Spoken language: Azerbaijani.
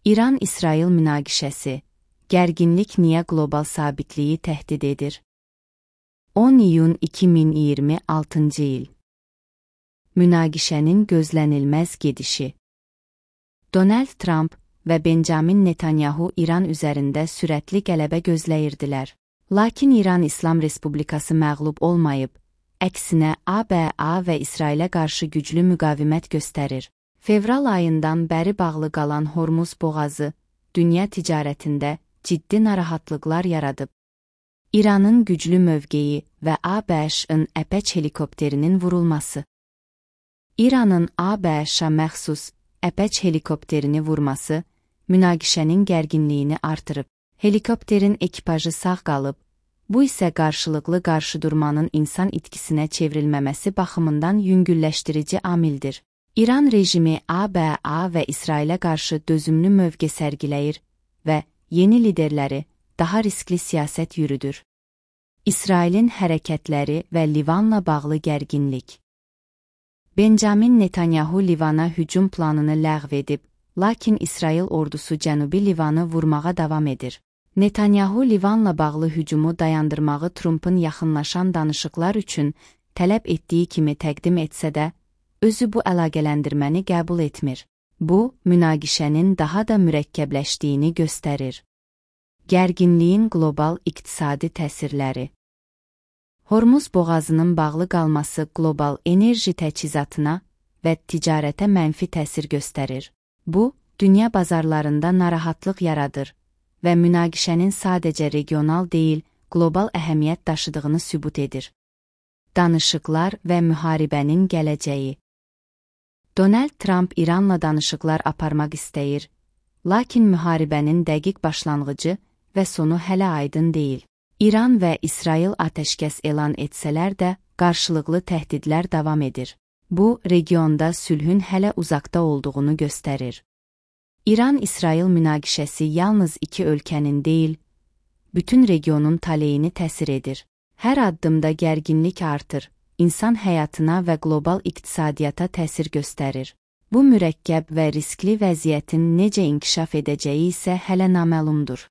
İran-İsrail münaqişəsi, gərginlik niyə qlobal sabitliyi təhdid edir? 10 iyun 2026 il. Münaqişənin gözlənilməz gedişi. Donald Trump və Benjamin Netanyahu İran üzərində sürətli qələbə gözləyirdilər. Lakin İran İslam Respublikası məğlub olmayıb, əksinə ABA və İsrailə qarşı güclü müqavimət göstərir. Fevral ayından bəri bağlı qalan Hormuz boğazı, dünya ticarətində ciddi narahatlıqlar yaradıb. İranın güclü mövqeyi və ABŞ-ın Əpəç helikopterinin vurulması. İranın ABŞ-a məxsus Əpəç helikopterini vurması, münaqişənin gərginliyini artırıb. Helikopterin ekipajı sağ qalıb, bu isə qarşılıqlı qarşıdurmanın insan itkisinə çevrilməməsi baxımından yüngülləşdirici amildir. İran rejimi ABA və İsrailə qarşı dözümlü mövqe sərgiləyir və yeni liderləri daha riskli siyasət yürüdür. İsrailin hərəkətləri və Livanla bağlı gərginlik. Benjamin Netanyahu Livana hücum planını ləğv edib, lakin İsrail ordusu Cənubi Livanı vurmağa davam edir. Netanyahu Livanla bağlı hücumu dayandırmağı Trump'ın yaxınlaşan danışıqlar üçün tələb etdiyi kimi təqdim etsə də, özü bu əlaqələndirməni qəbul etmir. Bu, münaqişənin daha da mürəkkəbləşdiyini göstərir. Gərginliyin qlobal iqtisadi təsirləri. Hormuz boğazının bağlı qalması qlobal enerji təchizatına və ticarətə mənfi təsir göstərir. Bu, dünya bazarlarında narahatlıq yaradır və münaqişənin sadəcə regional deyil, qlobal əhəmiyyət daşıdığını sübut edir. Danışıqlar və müharibənin gələcəyi. Donald Trump İranla danışıqlar aparmaq istəyir, lakin müharibənin dəqiq başlanğıcı və sonu hələ aydın deyil. İran və İsrail atəşkəs elan etsələr də, qarşılıqlı təhdidlər davam edir. Bu, regionda sülhün hələ uzaqda olduğunu göstərir. İran-İsrail münaqişəsi yalnız iki ölkənin deyil, bütün regionun taleyini təsir edir. Hər addımda gərginlik artır, insan həyatına və qlobal iqtisadiyyata təsir göstərir. Bu mürəkkəb və riskli vəziyyətin necə inkişaf edəcəyi isə hələ naməlumdur.